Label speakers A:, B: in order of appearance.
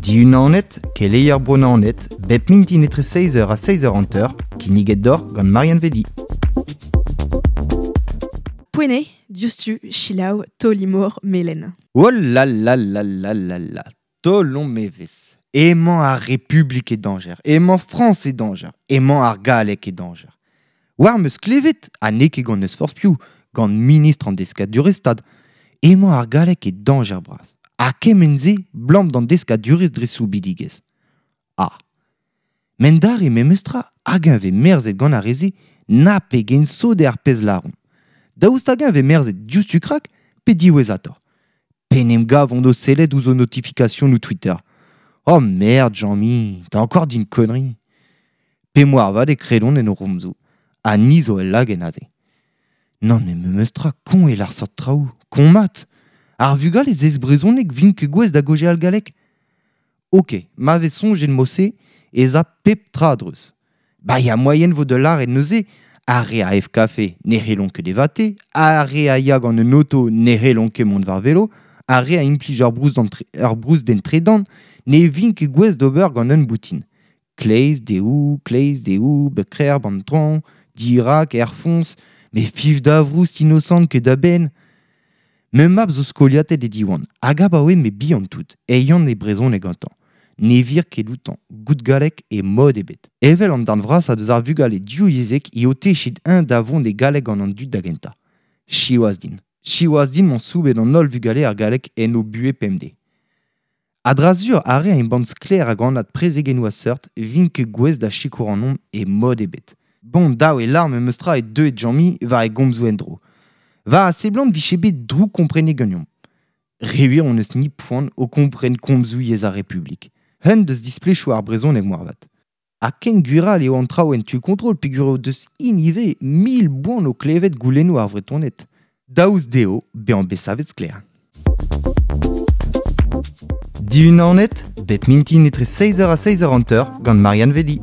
A: Diunanet, keleier Bro-Naoned, bep mintin etre 6h ha 6h50, kinniget deoc'h gant Marianne Vedi.
B: Poent eo, diouzhtu, selaou taol-imor melen.
A: Oh la la la la la la, taolomp evezh. Emañ ar Republik e dañjer, emañ Frañs e dañjer, emañ ar galleg e dañjer. War 'm eus klevet, ha n'eo ket gant n'eus forzh piv, gant ministr an deskadurezh-stad, emañ ar galleg e dañjer bras. Ha kement-se 'blam d'an deskadurezh dre soubidigezh. Ah. Met dare memestra hag-eñ 'vez merzet gant ar re-se na pegen sot eo ar pezh 'lâront. Daoust hag-eñ 'vez merzet diouzhtu-krak pe diwezhatoc'h? P'en em gavont o sellet ouzh o notifikasionoù Twitter. Oh merde Jean-Mi, t'as encore dit une connerie. Pe moarvat e kredont en o c'homzoù, ha ni zo ul lagenn aze. Nann met memes tra koñ eo ar seurt traoù, koñ mat. Ar vugale zesk brezhoneg 'vint ket gouest da gaozeal galleg. Ok, ma vez soñjet mod-se ez a pep tra a-dreuz. Ba ya moaien 'vo da lâret neuze ar re a ev kafe ne c'hellont ket evañ ar re a ya gant un oto ne c'hellont ket mont war velo, ar re a implij ur broust den tredan ne vint ket gouest d'ober gant un boutin. Kleiz, dehoù, kleiz, dehoù, bekrec'h, an traoñ, dirak, er foñs, met fiv da vroust inosant ket da benn. Ma mab zo skoliatet e Diwan, hag abaoe m'eo bihan-tout, e yan e brezhoneg gantañ. Ne vir ket outañ, goût galleg e mod ebet. Evel an darn vrasañ deus ar vugale divyezhek eo techet eñ da vont e galleg gant an dud da gentañ. Siwazh din. Siwazh din m'on soubet an holl vugale ar galleg en o buhez pemdez. A-dra-sur ar re a embann sklaer hag anat prezegennoù a seurt 'vint ket gouest da sikour ac'hanomp e mod ebet. Bon, dav eo lâr memes tra eo deuet Jean-Mi war e gomzoù en-dro. War a seblant 'vije bet droukkomprenet ganeomp. Re wir hon eus-ni poan o kompren komzoù yezh ar Republik. Un deus displechoù ar brezhoneg moarvat. Ha ken gwir all eo an traoù en tu kontrol peogwir o deus int ivez 1000 boan o klevet goulennoù ar Vretoned. Daoust dezho bezañ bet savet sklaer. Diunanet, bep mintin etre 6h ha 6h50 gant Marianne Vedi.